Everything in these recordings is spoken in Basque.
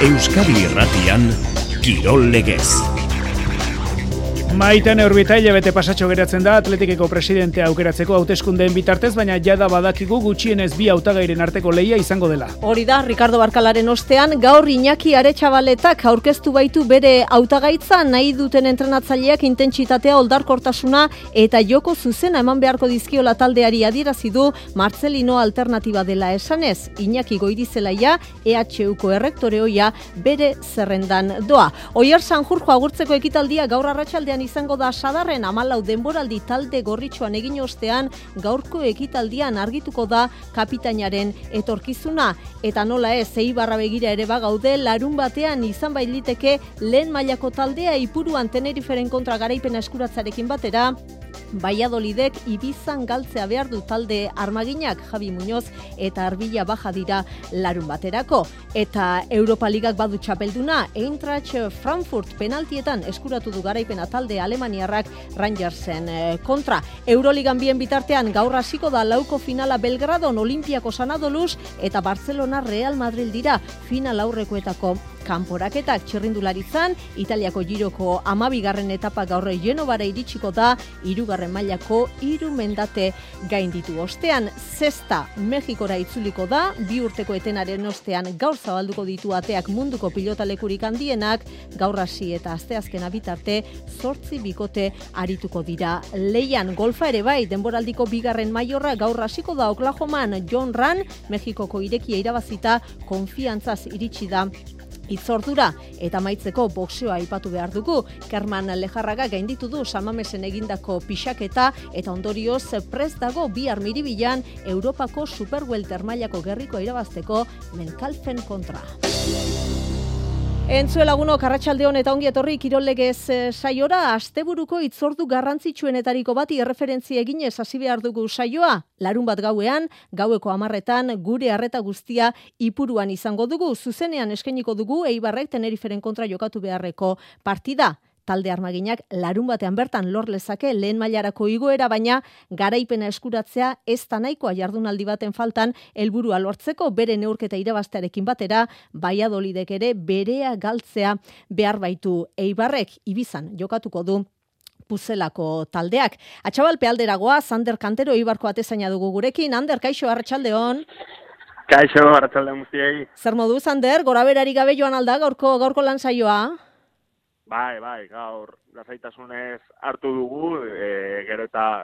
Euskadi Irratian, Kirol Legez. Maiten Urbitaile bete pasatxo geratzen da Atletikeko presidentea aukeratzeko hauteskundeen bitartez, baina jada badakigu gutxienez bi hautagairen arteko lehia izango dela. Hori da, Ricardo Barkalaren ostean, gaur Iñaki Aretxabaletak aurkeztu baitu bere hautagaitza, nahi duten entrenatzaileak intentsitatea, oldarkortasuna eta joko zuzena eman beharko dizkiola taldeari adierazi du Marcelino alternatiba dela esanez. Iñaki Goirizelaia, EHUko errektoreoia bere zerrendan doa. Oier Sanjurjo agurtzeko ekitaldia gaur arratsaldean izango da sadarren 14 denboraldi talde gorritxoan egin ostean gaurko ekitaldian argituko da kapitainaren etorkizuna eta nola ez Eibarra begira ere bagaude larun batean izan bailiteke lehen mailako taldea Ipuruan Teneriferen kontra garaipena eskuratzarekin batera Valladolidek Ibizan galtzea behar du talde armaginak Javi Muñoz eta Arbilla Baja dira larun baterako. Eta Europa Ligak badu txapelduna, Eintracht Frankfurt penaltietan eskuratu du garaipena talde alemaniarrak Rangersen kontra. Euroligan bien bitartean gaur hasiko da lauko finala Belgradon Olimpiakos Anadoluz eta Barcelona Real Madrid dira final aurrekoetako kanporaketak txirrindularitzan, Italiako Giroko 12. etapa gaur Genovara iritsiko da, 3. mailako 3 mendate gainditu ostean. Zesta Mexikora itzuliko da, 2 urteko etenaren ostean gaur zabalduko ditu ateak munduko pilotalekurik handienak, gaur hasi eta asteazkena bitarte 8 bikote arituko dira leian. Golfa ere bai, denboraldiko 2. maiorra gaur hasiko da Oklahoman John Ran, Mexikoko irekia irabazita konfiantzaz iritsi da itzordura eta amaitzeko boxeoa aipatu behar dugu. Kerman Lejarraga gainditu du San Mamesen egindako pixaketa eta ondorioz prest dago bihar Miribilan Europako Superwelter mailako gerrikoa irabazteko Menkalfen kontra. Entzue lagunok, arratsaldeon eta ongi etorri Kirol Legez saiora. Asteburuko itzordu garrantzitsuenetariko bati erreferentzia eginez hasi behar dugu saioa. Larun bat gauean, gaueko 10etan gure arreta guztia Ipuruan izango dugu. Zuzenean eskainiko dugu Eibarrek Teneriferen kontra jokatu beharreko partida. Talde armaginak larun batean bertan lor lezake lehen mailarako igoera, baina garaipena eskuratzea ez da nahikoa jardunaldi baten faltan helburua lortzeko bere neurketa irabaztearekin batera, Valladolidek ere berea galtzea behar baitu. Eibarrek Ibizan jokatuko du Puzelako taldeak. Atxabalpe alderagoa, Ander Kantero Eibarko atezaina dugu gurekin. Ander, kaixo, arratsaldeon. Kaixo, arratsaldeon guztiei. Zer moduz, Ander, goraberari gabe joan alda gaurko lan saioa? Bai, gaur lasaitasunez hartu dugu, gero eta,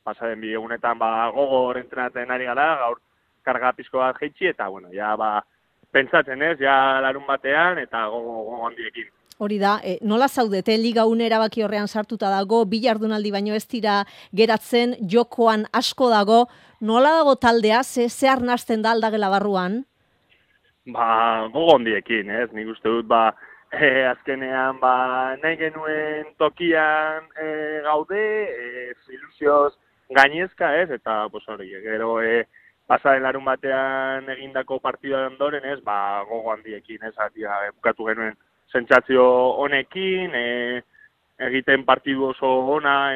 pasaren bi egunetan gogor entrenatzen ari gara, gaur karga pizko bat jeitsi, eta, ja, pentsatzen ez, ja larun batean, eta gogo handiekin. Hori da, nola zaudete, liga une erabaki horrean sartuta dago, bi jardunaldi baino ez dira geratzen, jokoan asko dago, nola dago taldea, ze arnasten da aldagela barruan? Gogo handiekin, ez, nik uste dut, azkenean nahi genuen tokian gaude, ilusioz gainezka ez, eta hori, gero pasaren larun batean egindako partida ondoren ez, gogo handiekin ez, bukatu genuen sentsazio honekin, egiten partidu oso ona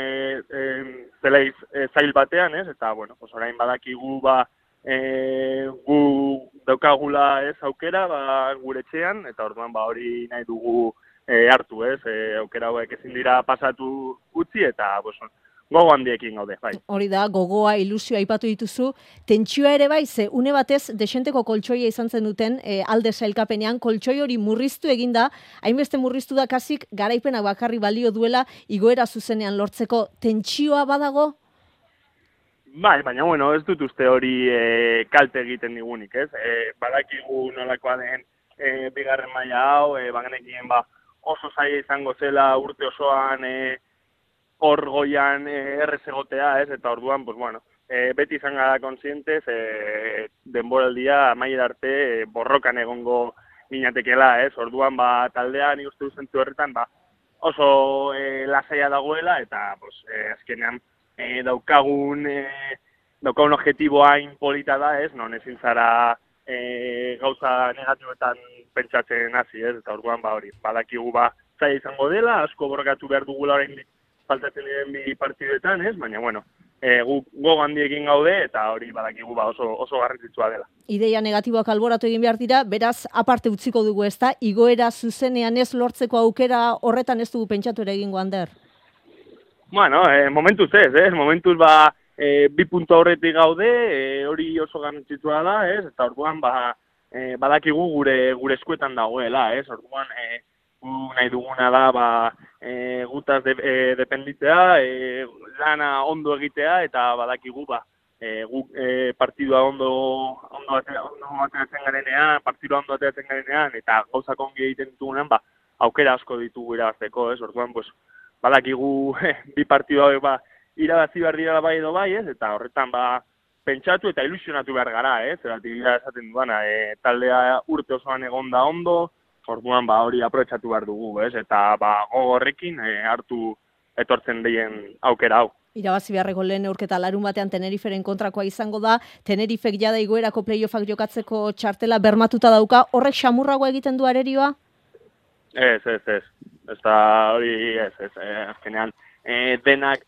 zeleiz zail batean ez, eta orain badakigu gu daukagula ez aukera gure etxean, eta orduan hori nahi dugu hartu ez, aukera hauek ezin dira pasatu utzi, eta gogo handiekin gaude, bai. Hori da, gogoa, ilusioa aipatu dituzu, tentsioa ere bai, ze une batez desenteko koltsoia izan zen duten alde sailkapenean, koltsoi hori murriztu eginda, hainbeste murriztu da kasik garaipenak bakarri balio duela igoera zuzenean lortzeko, tentsioa badago? Bai, baina, ez dut uste hori kalte egiten digunik, ez? Badakigu nolakoa den bigarren maila hau, bagenekien oso zaila izango zela urte osoan hor goian errez egotea, ez? Eta orduan, beti izan gara konsientez, denboraldia amaiera arte borrokan egongo ginatekela, ez? Orduan, taldea nik uste duzentzu horretan, oso lasaia dagoela, eta azkenean, daukagun objektiboa polita da, ez? Non ezin zara gauza negatiboetan pentsatzen hasi, ez? Eta orduan hori, badakigu zaila izango dela, asko borrokatu behar dugula orain faltatzen diren bi partiduetan, ez? Baina guk gogo handiekin gaude, eta hori badakigu oso garrantzitsua dela. Ideia negatiboak alboratu egin behar dira, beraz, aparte utziko dugu, ezta? Igoera zuzenean ez lortzeko aukera horretan ez dugu pentsatu ere egingo, Ander? Bueno, momentuz ez, momentuz bi puntu horretik gaude, hori oso garrantzitsua da, ez? Eta orduan badakigu gure eskuetan dagoela, ez? Orduan nahi duguna da gutaz dependitzea, lana ondo egitea, eta badakigu guk partidua ondo ateratzen garenean, eta gauzak ongi egiten ditugunean, aukera asko ditugu irabazteko, ez? Orduan, badakigu bi partidu hauek irabazi behar dira bai edo bai, ez? Eta horretan pentsatu eta ilusionatu behar gara, ez? Zeratik esaten duana, taldea urte osoan egon da ondo, orduan hori aprobetxatu behar dugu, ez? Eta gogorrekin hartu etortzen dien aukera hau. Irabazi beharreko lehen neurketa larun batean Teneriferen kontrakoa izango da, Tenerifek jada igoerako playoffak jokatzeko txartela bermatuta dauka, horrek xamurragoa egiten du arerioa? Ez. Ez da hori ez. Azkenean, denak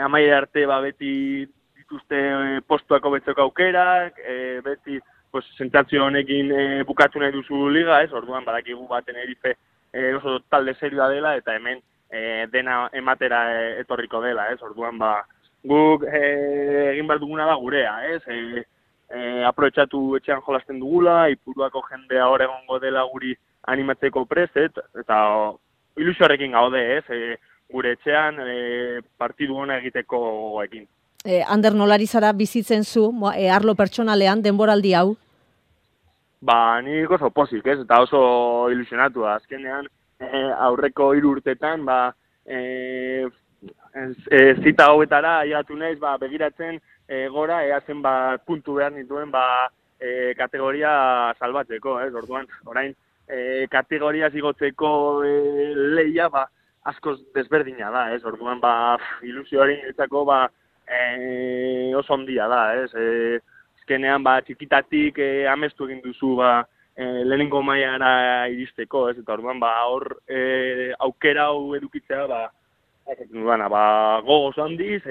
amaia arte beti dituzte postuako betzeko aukerak, beti sentsazio honekin bukatu nahi duzu liga, ez? Orduan badakigu Tenerife oso talde serioa dela, eta hemen dena ematera etorriko dela, ez? Orduan guk egin behar duguna da gurea, ez? Aprobetxatu etxean jolasten dugula, Ipuruako jendea hor egongo dela guri animatzeko prest, eta ilusioarekin gaude, ez? Gure etxean partidu hona egiteko gogoekin. Ander, nolari zara bizitzen zu, arlo pertsonalean, denboraldi hau? Nik oso pozik, ez? Eta oso ilusionatu. Azkenean, aurreko 3 urtetan, zita hauetara aiatu naiz, begiratzen gora, eazen puntu behar nituen, kategoria salbatzeko, ez? Orduan, orain, kategoria zigotzeko lehia, askoz desberdina da, ez? Orduan, ilusioari niretzako, oso ondia da, ez? Azkenean, txikitatik amestu egin duzu, lehenengo mailara iristeko, ez? Eta orduan, hor aukera hau edukitzea, gogoz handiz,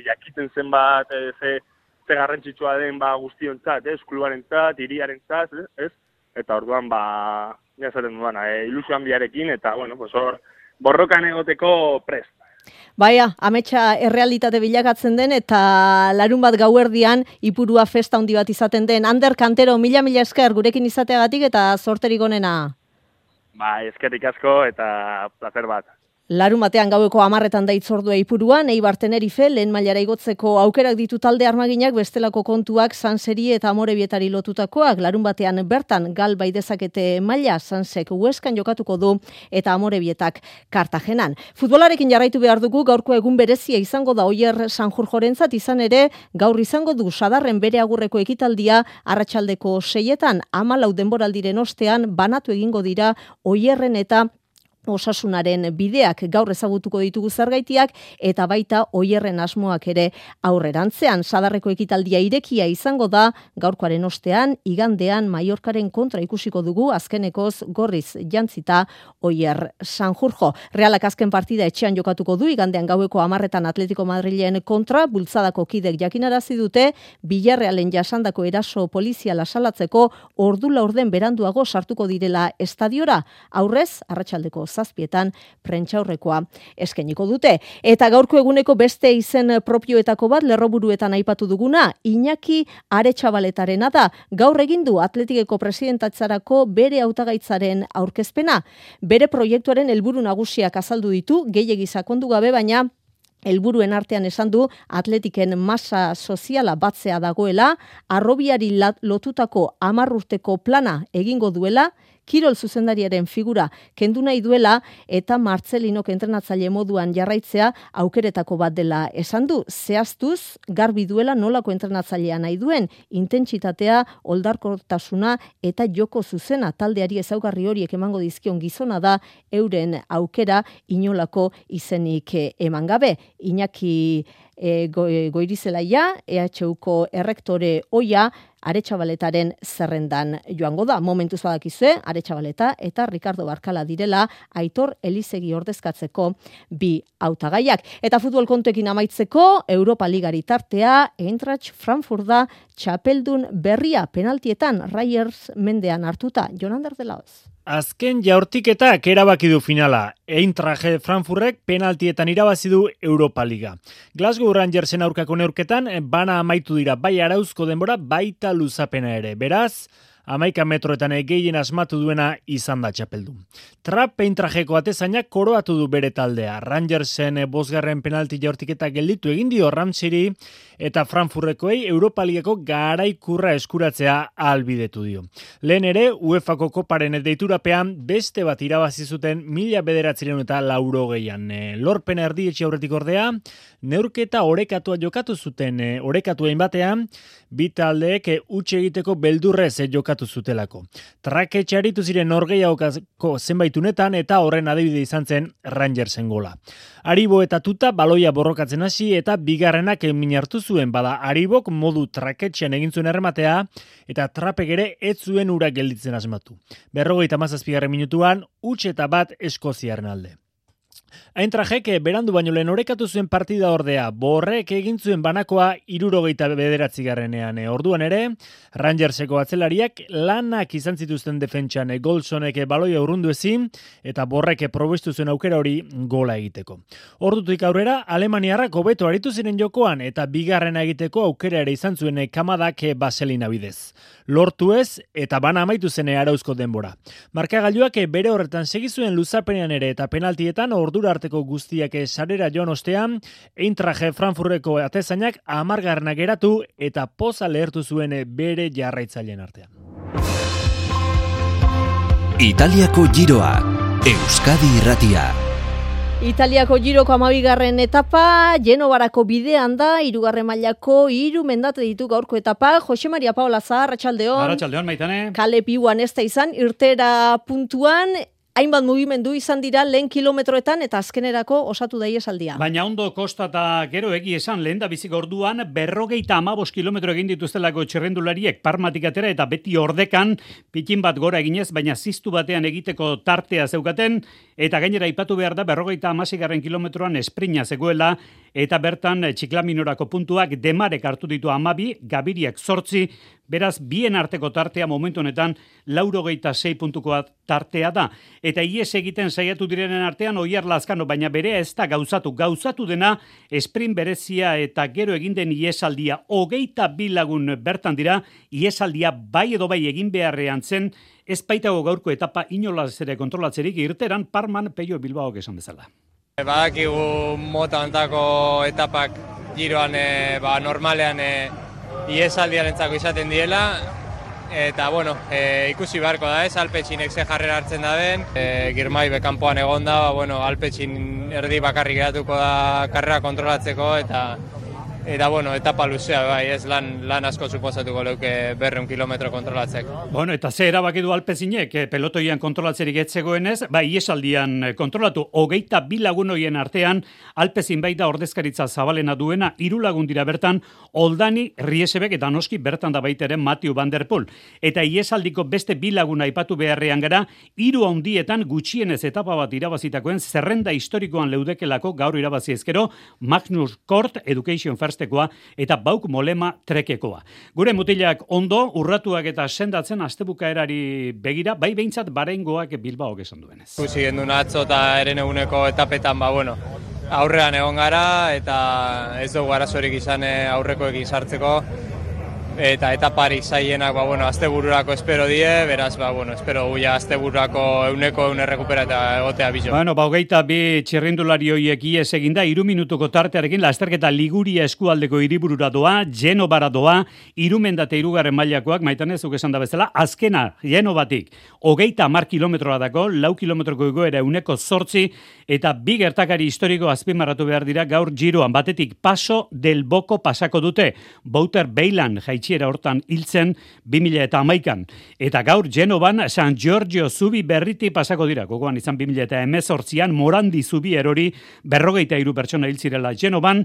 jakiten zenbat, ze garrantzitsua den guztiontzat, ez? Klubarentzat, hiriarentzat, ez? Eta orduan, jazaten duan, ilusio handiarekin, eta, hor, borrokan egoteko prest. Baina, ametsa errealitate bilakatzen den, eta larun bat gauerdian Ipurua festa handi bat izaten den. Ander Kantero, mila esker gurekin izateagatik eta zorterik onena. Eskerrik asko eta placer bat. Larun batean gaueko 10 da itzordua Ipuruan, Eibar Tenerife lehen mailara igotzeko aukerak ditu talde armaginak, bestelako kontuak Sanseri eta Amorebietari lotutakoak. Larun batean bertan gal bai dezakete maila, Sansek Hueskan jokatuko du eta Amorebietak Kartagenan. Futbolarekin jarraitu behar dugu, gaurko egun berezia izango da Oier Sanjurjorentzat, izan ere gaur izango du Sadarren bere agurreko ekitaldia arratsaldeko 6etan, 14 denboraldiren ostean banatu egingo dira Oierren eta Osasunaren bideak. Gaur ezagutuko ditugu zergaitiak eta baita Oierren asmoak ere aurrerantzean. Sadarreko ekitaldia irekia izango da, gaurkoaren ostean, igandean Mallorcaren kontra ikusiko dugu, azkenekoz gorriz jantzita Oier Sanjurjo. Realak azken partida etxean jokatuko du, igandean gaueko 10 Atletico Madrilen kontra, bultzadako kidek jakinarazi dute, Villarrealen jasandako eraso poliziala salatzeko ordu laurden beranduago sartuko direla estadiora. Aurrez, arratsaldeko 7 prentsaurrekoa eskainiko dute. Eta gaurko eguneko beste izen propioetako bat lerroburuetan aipatu duguna, Iñaki Aretxabaletarena da. Gaur egin du Atletikeko presidentatzarako bere hautagaitzaren aurkezpena. Bere proiektuaren helburu nagusiak azaldu ditu, gehiegi sakondu gabe, baina helburuen artean esan du Atletiken masa soziala batzea dagoela, harrobiari lotutako 10 urteko plana egingo duela, kirol zuzendariaren figura kendu nahi duela eta Martzelinok entrenatzaile moduan jarraitzea aukeretako bat dela esan du. Zehaztuz, garbi duela nolako entrenatzailea nahi duen, intentsitatea, oldarkortasuna eta joko zuzena taldeari ezaugarri horiek emango dizkion gizona da, euren aukera inolako izenik eman gabe. Iñaki Goirizelaia, EHUko errektore oia, Aretxabaletaren zerrendan joango da. Momentuz badakizue, Aretxabaleta eta Ricardo Barkala direla Aitor Elizegi ordezkatzeko bi hautagaiak. Eta futbol kontuekin amaitzeko, Europa Ligari tartea, Eintracht Frankfurt da txapeldun berria penaltietan Rayers mendean hartuta. Jonander de Laoz. Azken jaurtiketak erabaki du finala. Eintracht Frankfurtek penaltietan irabazi du Europa Liga. Glasgow Rangersen aurkako neurketan bana amaitu dira bai arauzko denbora baita luzapena ere. Beraz, 11 metroetan gehien asmatu duena izan da txapeldun. Trap Eintrachteko atezainak koroatu du bere taldea. Rangersen 5. penalti jaurtiketa gelditu egin dio Ramseyri eta Frankfurtekoei Europa Ligako garaikurra eskuratzea ahalbidetu dio. Lehen ere, UEFako koparen deiturapean beste bat irabazi zuten 1980an. Lorpen erdietxe aurretik ordea, neurketa orekatua jokatu zuten, orekatuen batean, bi taldeek huts egiteko beldurrez jokatu zutelako. Traketxe aritu ziren norgehiagoko zenbaitunetan eta horren adibide izan zen Rangersen gola. Aribo eta Tuta baloia borrokatzen hasi eta bigarrenak min hartu zuen, bada Aribok modu traketxean egin zuen errematea eta Trapek ere ez zuen ura gelditzen asmatu. 57. minutuan huts eta bat Eskoziarren alde. Eintrachtek berandu baino lehen orekatu zuen partida ordea, Borrek egin zuen banakoa 79. Orduan ere, Rangerseko atzelariak lanak izan zituzten defentsan, Golsonek baloia urrundu ezin, eta Borrek probestu zuen aukera hori gola egiteko. Ordutik aurrera, Alemaniarrak hobeto aritu ziren jokoan, eta bigarrena egiteko aukera ere izan zuen Kamadak Vaselina bidez. Lortu ez, eta bana amaitu zen arauzko denbora. Markagailuak bere horretan segizuen luzapenean ere eta penaltietan ordura arteko guztiak sarera joan ostean, Eintracht Frankfurteko atezainak 10. geratu eta poza lehertu zuen bere jarraitzaileen artean. Italiako giroa, Euskadi Irratia. Italiako giroko 12. etapa, Genovarako bidean da, 3. mailako 3 mendate ditu gaurko etapa. Jose Maria Paola Zahar, Arratsaldeon. Arratsaldeon, Maitane. Kale piuan ez da izan, irtera puntuan, hainbat mugimendu izan dira lehen kilometroetan eta azkenerako osatu da iesaldia. Baina ondo kostata gero egi esan lehen da bizik orduan 55 kilometro egin dituztelako txirrendulariek Parmatik atera eta beti ordekan pitin bat gora eginez, baina ziztu batean egiteko tartea zeukaten eta gainera aipatu behar da 56. kilometroan esprina zegoela eta bertan Txiklaminorako puntuak Demarek hartu ditu 12, Gabiriak 8, beraz bien arteko tartea momentu honetan 86 puntukoa tartea da. Eta ies egiten saiatu direnen artean Oier Lazkano, baina berea ez da gauzatu dena sprint berezia eta gero egin den iesaldia 22 lagun bertan dira, iesaldia bai edo bai egin beharrean zen, ez baitago gaurko etapa inolaz ere kontrolatzerik irteran Parman Peio Bilbaok esan bezala. Badakigu mota hontako etapak giroan normalean iesaldiarentzako izaten diela, eta bueno, ikusi beharko da ez, Alpetxinek ze jarrera hartzen da den, Girmay bekanpoan egon da, Alpetxin erdi bakarrik geratuko da karrera kontrolatzeko, eta bueno, etapa luzea, bai, ez lan asko suposatuko leuke 200 kilometro kontrolatzeko. Bueno, eta ze erabaki du Alpezinek, pelotoian kontrolatzerik etzegoenez, bai, iesaldian kontrolatu 22 lagun horien artean, Alpezin baita ordezkaritza zabalena duena, 3 lagun dira bertan, Oldani, Riesebek eta noski bertan da baita ere Mathieu van der Poel. Eta iesaldiko beste 2 lagun aipatu beharrean gara, 3 handietan gutxienez etapa bat irabazitakoen zerrenda historikoan leudekelako gaur irabazi ezkero, Magnus Kort, Education First eta Bauk Molema trekekoa. Gure mutilak ondo, urratuak eta sendatzen astebukaerari begira, bai behintzat Barengoak Bilbaok esan duenez. Ikusi gendun atzo eta eren eguneko etapetan, aurrean egon gara eta ez dugu arazorik izan aurrekoekin sartzeko. Eta etaparik zaienak, astebururako espero die, beraz, espero guia astebururako euneko errekupera eta egotea bizo. 22 txirrindulari horiek ies eginda, 3 minutuko tartearekin, lasterketa Liguria eskualdeko hiriburura doa, Genovara doa, 3 mendate 3. mailakoak, Maitanezuk esan da bezala, azkena, Genovatik, 30 kilometroa dako, 4 kilometroko egoera euneko 8, eta 2 gertakari historiko azpimarratu behar dira gaur giroan, batetik Paso del Boko pasako dute, Bouter Beilan jaitsi jaitsiera hortan hiltzen 2011an. Eta gaur Genovan San Giorgio zubi berriti pasako dira. Gogoan izan 2018an Morandi zubi erori 43 pertsona hil zirela Genovan.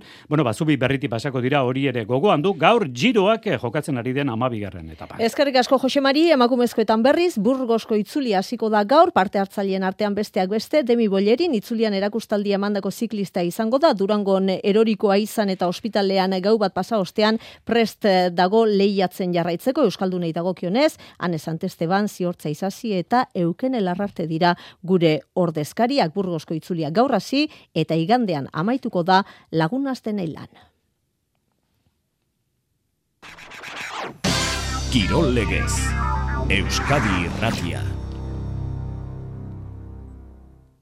Zubi berriti pasako dira, hori ere gogoan du. Gaur Giroak jokatzen ari den 12. etapa. Eskerrik asko Jose Mari, emakumezkoetan berriz, Burgosko itzulia hasiko da gaur, parte hartzaileen artean besteak beste, Demi Bollerin itzulian erakustaldia emandako ziklista izango da, Durangon erorikoa izan eta ospitalean gau bat pasa ostean prest dago lehiatzen jarraitzeko Euskaldunei dagokionez, Ane Santesteban, Ziortza Isasi eta Euken Elarrarte dira gure ordezkariak. Burgosko itzulia gaur hasi eta igandean amaituko da Lagun Astenei lan. Kirol legez, Euskadi Irratia.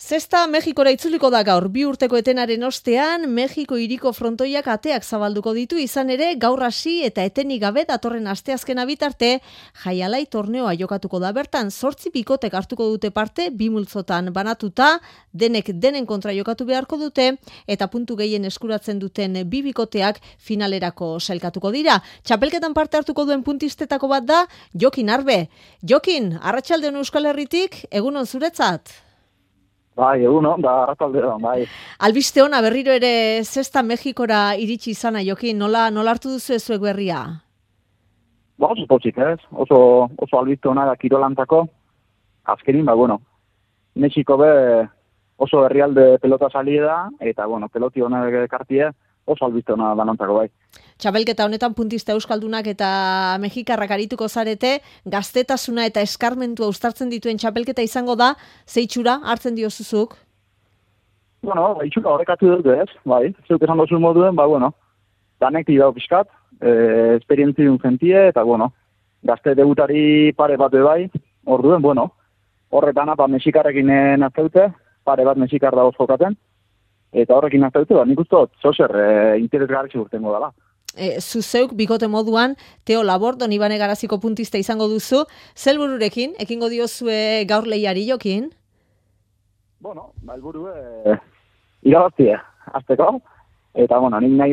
Zesta Mexikora itzuliko da gaur, 2 urteko etenaren ostean, Mexiko hiriko frontoiak ateak zabalduko ditu, izan ere gaur hasi eta etenik gabe datorren asteazkena bitarte, jaialai torneoa jokatuko da bertan, 8 bikotek hartuko dute parte, 2 multzotan banatuta, denek denen kontra jokatu beharko dute, eta puntu gehien eskuratzen duten 2 bikoteak finalerako sailkatuko dira. Txapelketan parte hartuko duen puntistetako bat da, Jokin Arbe. Jokin, arratsaldeon Euskal Herritik, egunon zuretzat? Bai, egunon, da arratsaldeon, bai. Albiste ona berriro ere Zesta Mexikora iritsi izana, Jokin, nola hartu duzu zuek berria? Oso potzik, ez? Oso albiste ona da kirolantako. Azkenin, Mexiko oso herrialde pelota salida, eta, peloti ona ekartie, oso albiste ona danontzako, bai. Txapelketa honetan puntista euskaldunak eta mexikarrak arituko zarete, gaztetasuna eta eskarmentua uztartzen dituen txapelketa izango da, zeitxura hartzen diozuzuk? Itxura horrekatu dut, ez? Bai, zeuk esan dozu moduen, danek tira pixkat, esperientzi duen jentie, eta, gazte debutari pare bat bai, orduen, horretan mexikarrekin nazteute, pare bat mexikar dagoz jokaten, eta horrekin nazteute, nik uste dut, zozer, interesgarri urtengo dela. Zuzeuk bikote moduan Teo Labordon Ibane Garaziko puntista izango duzu, zelbururekin, ekingo diozue gaur lehiari, Jokin? Helburu irabaztia, azteko, eta, nik nahi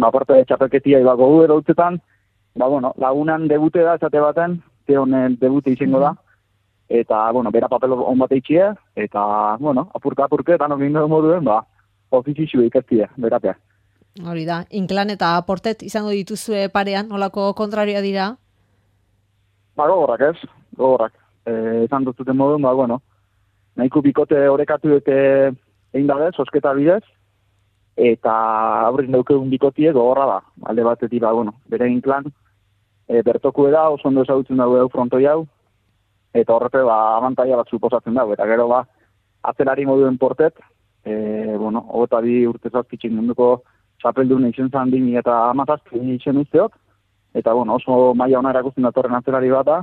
aparte txapelketia gogu eroutzetan, lagunan debute da, esate baten, Teonen debute izango da, eta, bera papel on bat eitxie, eta, apurke, eta nokin dugu moduen, ofizizio ikastie, beratea. Hori da, Inklan eta Portet izango dituzue parean, nolako kontrarioa dira? Gogorrak ez, gogorrak. Esan duzuten moduen, nahiko bikote orekatu dute egin dabe, sosketa bidez, eta aurrin daukegun bikotie gogorra da. Alde batetik, bere Inklan, bertoku da, oso ondo ezagutzen dago frontoi hau, eta horrepe, abantaia bat suposatzen dago, eta gero, atzelari moduen Portet, 22 urte zazpitzen munduko txapeldun izan zan 2017 izan usteok, eta oso maila ona erakusten datorren atzelari bat da,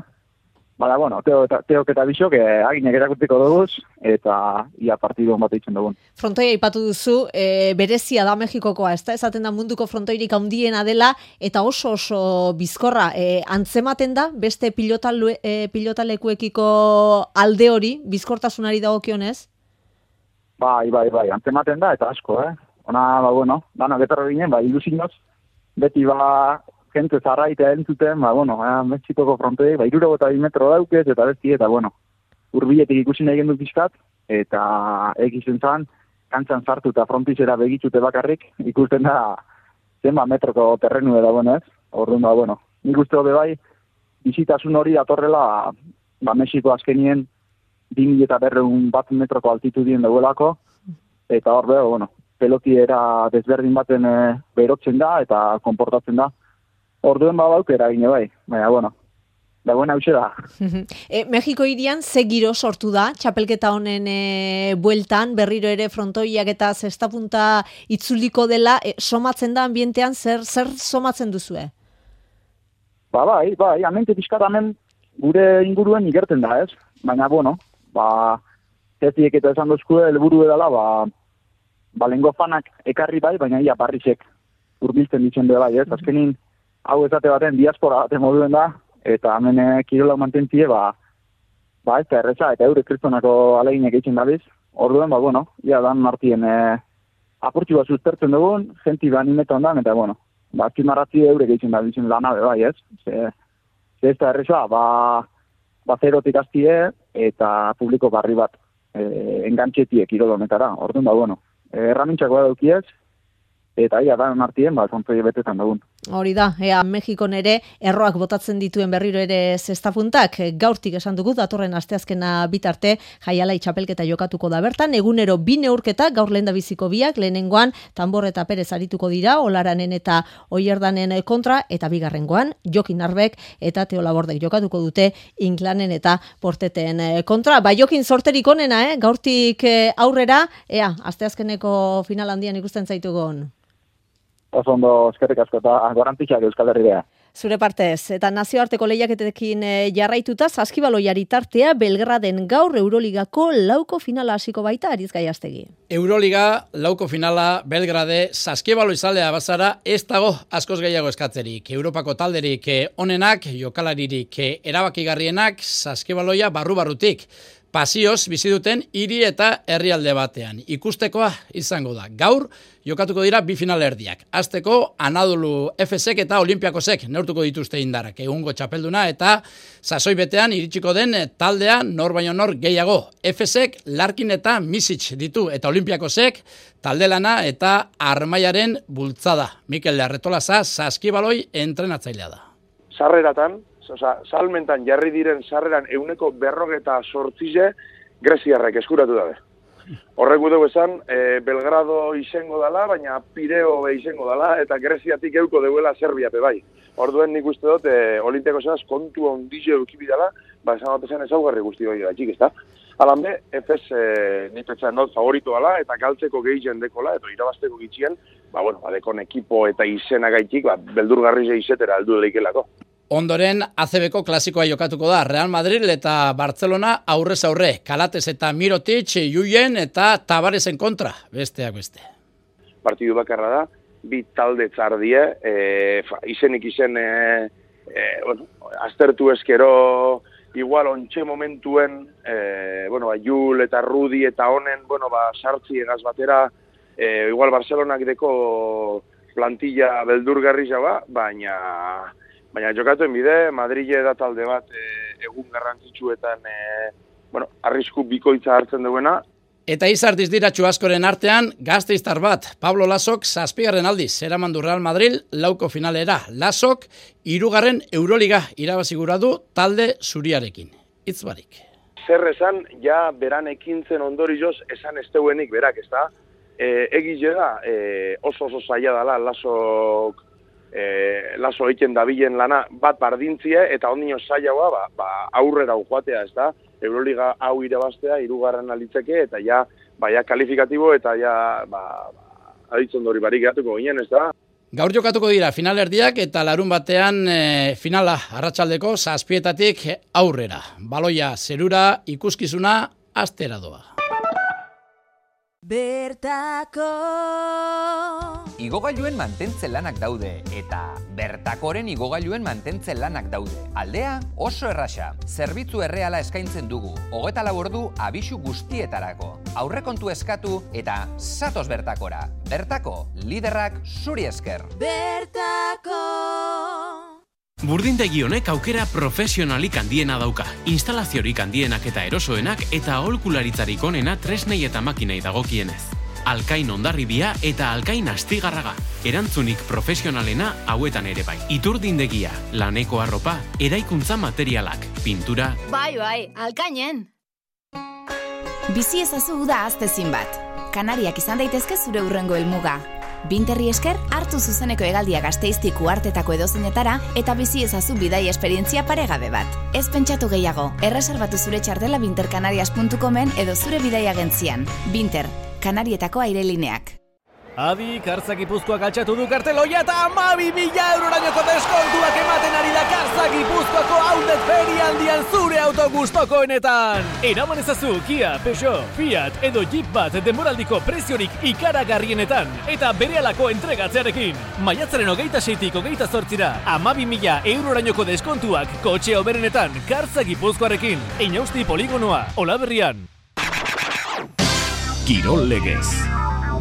teok eta bisok aginek erakustiko duguz, eta ia partidu bat eitzen dugun. Frontoia ipatu duzu, berezia da Mexikokoa, ez da? Esaten da munduko frontoirik handiena dela, eta oso bizkorra, antzematen da, beste pilotalekuekiko alde hori, bizkortasunari dagokionez? Bai, antzematen da, eta asko, Ona, dana betarra ginen, ilusinoz, beti jente zarraitea entzuten, Mexikoko frontoi, 62 metro daukez, eta besti, eta urbiletik ikusi nahi gendu pixkat, eta egizen zan, kantzan sartu eta frontizera begitzute bakarrik, ikusten da, zenba metroko terrenu da, ez? Orduan, nik uste hobe bai, bizitasun hori datorrela, Mexiko azkenien, 2.200 metroko altitudien dagoelako, eta hor pelotiera desberdin baten berotzen da eta konportatzen da. Orduen aukera gine bai, baina, dagoen hause da. Mexiko hirian ze giro sortu da, txapelketa honen bueltan, berriro ere frontoiak eta zesta punta itzuliko dela, somatzen da ambientean, zer somatzen duzue? Bai, amente pixkat hemen gure inguruen igerten da, ez? Baina, zetiek eta esan dozkue, helburu edala, lengo fanak ekarri bai, baina ia barrizek urbiltzen ditzen dela, ez? Azkenin, hau ezate baten diaspora baten moduen da, eta hemen kirola mantentzie, ez da erreza, eta eure kristonako aleginek egiten dabiz. Orduen, ia dan martien apurtxu bat sustertzen dugun, jenti animetan da, eta azpimarratzi eurek egiten da bizin lana bai, ez? Ze ez da erreza, zerotik hastie eta publiko barri bat engantxetiek kirolonetara. Orduan bueno, erramintxakoa daukiez, eta da artien, kontzoi betetan dagun. Hori da, Mexikon ere erroak botatzen dituen berriro ere zestapuntak, gaurtik esan dugu, datorren asteazkena bitarte, Jaialai txapelketa jokatuko da bertan, egunero 2 neurketa, gaur lehendabiziko biak, lehenengoan, Tambor eta Perez arituko dira, Olaranen eta Oierdanen kontra, eta bigarrengoan, Jokin Arbek eta Teo Labordek jokatuko dute, Inklanen eta Porteten kontra. Jokin sorterik onena, gaurtik aurrera, asteazkeneko final handian ikusten zaitugun. Oso ondo, eskerrik asko eta garrantzitsuak Euskal Herria. Zure partez, eta nazioarteko lehiaketekin jarraituta, saskibaloiari tartea Belgraden gaur Euroligako lauko finala hasiko baita Ariz Gaiastegi. Euroliga lauko finala Belgrade saskibaloi zalea bazara ez dago askoz gehiago eskatzerik. Europako talderik onenak, jokalaririk erabakigarrienak saskibaloia barru-barrutik. Pasioz bizi duten hiri eta herrialde batean. Ikustekoa izango da. Gaur jokatuko dira 2 finalerdiak. Hasteko Anadolu Efesek eta Olimpiakosek neurtuko dituzte indarrak. Egungo txapelduna eta sasoi betean iritsiko den taldea nor baino nor gehiago. Efesek Larkin eta Misic ditu eta Olimpiakosek taldelana eta Armaiaren bultzada. Mikel Arretolaza saskibaloi entrenatzailea da. Sarreratan, salmentan jarri diren sarreran 148 greziarrek eskuratu dabe. Horrek dugu esan, Belgrado izango dela, baina Pireo izango dela, eta Greziatik euko deuela Serbiape bai. Orduen nik uste dut, Olimpiakosaz kontu ondizio eukibidala, esan dut esan ezaugarri guzti hori da, txik, ez da? Alan be, Efes nik petxan dut favorito dela, eta galtzeko gehien dekola, eta irabazteko gitxien, dekon ekipo eta izena gaitik, beldurgarri izetera aldu leikelako. Ondoren, ACB-ko klasikoa jokatuko da, Real Madrid eta Barcelona aurrez aurre, Kalates eta Mirotic, Julen eta Tabaresen kontra, besteak beste. Partidu bakarra da, 2 talde txardie, izenik izen, aztertu eskero, igual ontxe momentuen, Jul eta Rudi eta honen, sartzi egaz batera, igual Barcelonak deko plantilla beldurgarri jaba, baina jokatuen bide, Madrile da talde bat egun garrantzitsuetan arrisku bikoitza hartzen duena. Eta izartiz diratxu askoren artean, gazteiztar bat, Pablo Lasok 7. aldiz, eramandu Real Madrid lauko finalera. Lasok 3. Euroliga irabazigura du talde zuriarekin. Hitz barik. Zer esan, ja beran ekintzen ondorioz esan ez deuenik berak, ez da? Egize da, oso zaila dela Lasok laso egiten dabilen lana bat bardintzie eta ondino zailagoa aurrera joatea, ez da? Euroliga hau irabaztea 3. alitzeke eta ja kalifikatibo eta ja aditzondori barik gatuko ginen, ez da? Gaur jokatuko dira finalerdiak eta larun batean finala arratsaldeko 7:00 aurrera. Baloia zerura ikuskizuna astera doa. Bertako igogailuen mantentze lanak daude eta Bertakoren igogailuen mantentze lanak daude. Aldea oso erraxa. Zerbitzu erreala eskaintzen dugu. 24 ordu abisu guztietarako. Aurrekontu eskatu eta zatoz Bertakora. Bertako liderrak zuri esker. Bertako Burdindegi honek aukera profesionalik handiena dauka. Instalaziorik handienak eta erosoenak eta aholkularitzarik onena tresnei eta makinei dagokienez. Alkain Hondarribia eta Alkain Astigarraga. Erantzunik profesionalena hauetan ere bai. Iturdindegia, laneko arropa, eraikuntza materialak, pintura. Bai, Alkainen. Bizi ezazu da aztezin bat. Kanariak izan daitezke zure hurrengo helmuga. Binterri esker, hartu zuzeneko hegaldia Gasteiztik uhartetako edozeinetara eta bizi ezazu bidai esperientzia paregabe bat. Ez pentsatu gehiago, erreserbatu zure txartela bintercanarias.comen edo zure bidai agentzian. Binter, Kanarietako airelineak. Adi, Kartza Gipuzkoak altxatu du karteloia eta 12.000 eurorainoko deskontuak ematen ari da Kartza Gipuzkoako outlet ferialdian zure auto gustokoenetan. Eraman ezazu Kia, Peugeot, Fiat edo Jeep bat denboraldiko preziorik ikaragarrienetan eta berehalako entregatzearekin. Maiatzaren 26-tik 28-ra 12.000 eurorainoko deskontuak kotxe hoberenetan Kartza Gipuzkoarekin. Inausti poligonoa, Olaberrian. Kirol legez.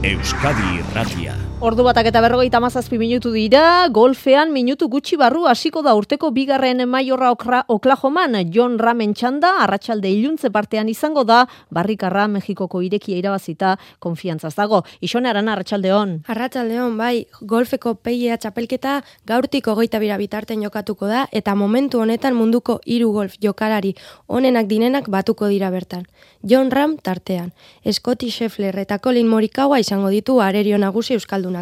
Euskadi Irratia. Ordu batak eta 57 minutu dira, golfean minutu gutxi barru hasiko da urteko bigarren maiorra Oklahoman. John Ramen txanda, arratsalde iluntze partean izango da, Barrikarra Mexikoko irekia irabazita konfiantzaz dago. Ixone Arana, arratsaldeon. Arratsaldeon, bai, golfeko PGA txapelketa gaurtik 22 bitarten jokatuko da, eta momentu honetan munduko 3 golf jokalari onenak dinenak batuko dira bertan. John Ram tartean. Scotty Scheffler eta Collin Morikawa izango ditu arerio nagusi euskaldunak.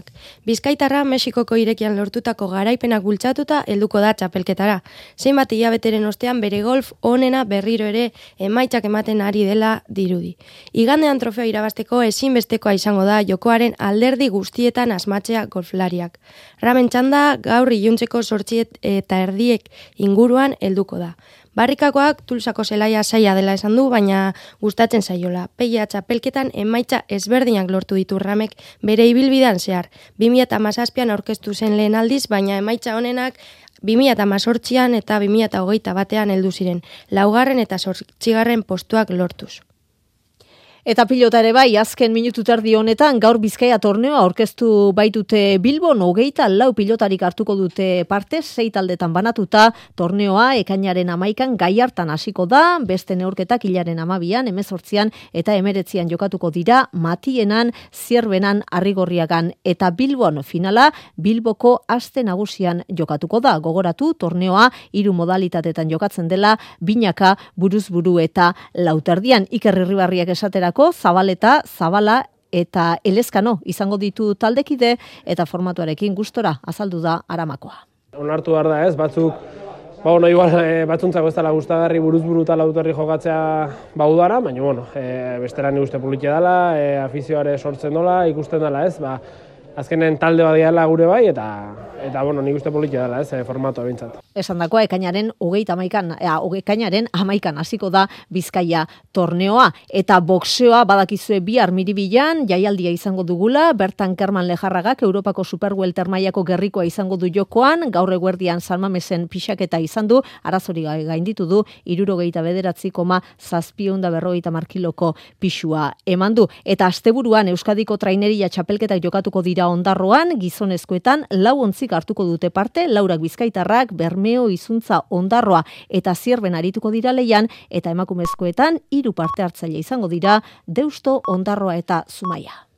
Bizkaitarra Mexikoko irekian lortutako garaipenak bultzatuta helduko da txapelketara. Zenbat hilabeteren ostean bere golf onena berriro ere emaitzak ematen ari dela dirudi. Igandean trofeo irabazteko ezinbestekoa izango da jokoaren alderdi guztietan asmatzea golflariak. Ramen txanda gaur iluntzeko 8 eta erdiek inguruan helduko da. Barrikakoak Tulsako zelaia zaila dela esan du, baina gustatzen zaiola. PGA txapelketan emaitza ezberdinak lortu ditu Ramek bere ibilbidean zehar. 2017an aurkeztu zen lehen aldiz, baina emaitza honenak 2018an eta 2021an heldu ziren. 4. eta 8. postuak lortuz. Eta pilota ere bai, azken minutu terdi honetan, gaur Bizkaia torneoa aurkeztu baitute Bilbon, 24 pilotarik hartuko dute parte, 6 taldetan banatuta, torneoa ekainaren 11an Gaiartan hasiko da, beste neurketak hilaren 12an, 18an eta 19an jokatuko dira, Matienan, Zierbenan, Arrigorriagan eta Bilbon finala, Bilboko aste nagusian jokatuko da. Gogoratu, torneoa 3 modalitatetan jokatzen dela, binaka, buruzburu eta lauterdian. Iker Irribarriak esatera Zabaleta, Zabala eta Elezkano izango ditu taldekide eta formatuarekin gustora azaldu da Aramakoa. Onartu behar da ez, batzuk, igual batzuntzako ez dela gustagarri buruzburu eta lauterri jokatzea udara, baina bestera ni uste politia dela, afizioare sortzen dola, ikusten dela ez, azkenen talde badiala gure bai, eta nik uste politia dela ez, formatoa bintzat. Esan dakoa, ekainaren 11an hasiko da Bizkaia torneoa, eta boxeoa badakizue bihar Miribilan, jaialdia izango dugula, bertan Kerman Lejarragak Europako Superwelter mailako gerrikoa izango du jokoan, gaur eguerdian San Mamesen pixaketa izan du, arazori gainditu du, 69,750 kiloko pixua eman du. Eta asteburuan Euskadiko traineria txapelketak jokatuko dira Ondarroan, gizonezkoetan 4 ontzik hartuko dute parte, Laurak Bizkaitarrak, Bermeo, Izuntza, Ondarroa eta Zierben arituko dira leian, eta emakumezkoetan 3 parte hartzaile izango dira, Deusto, Ondarroa eta Zumaia.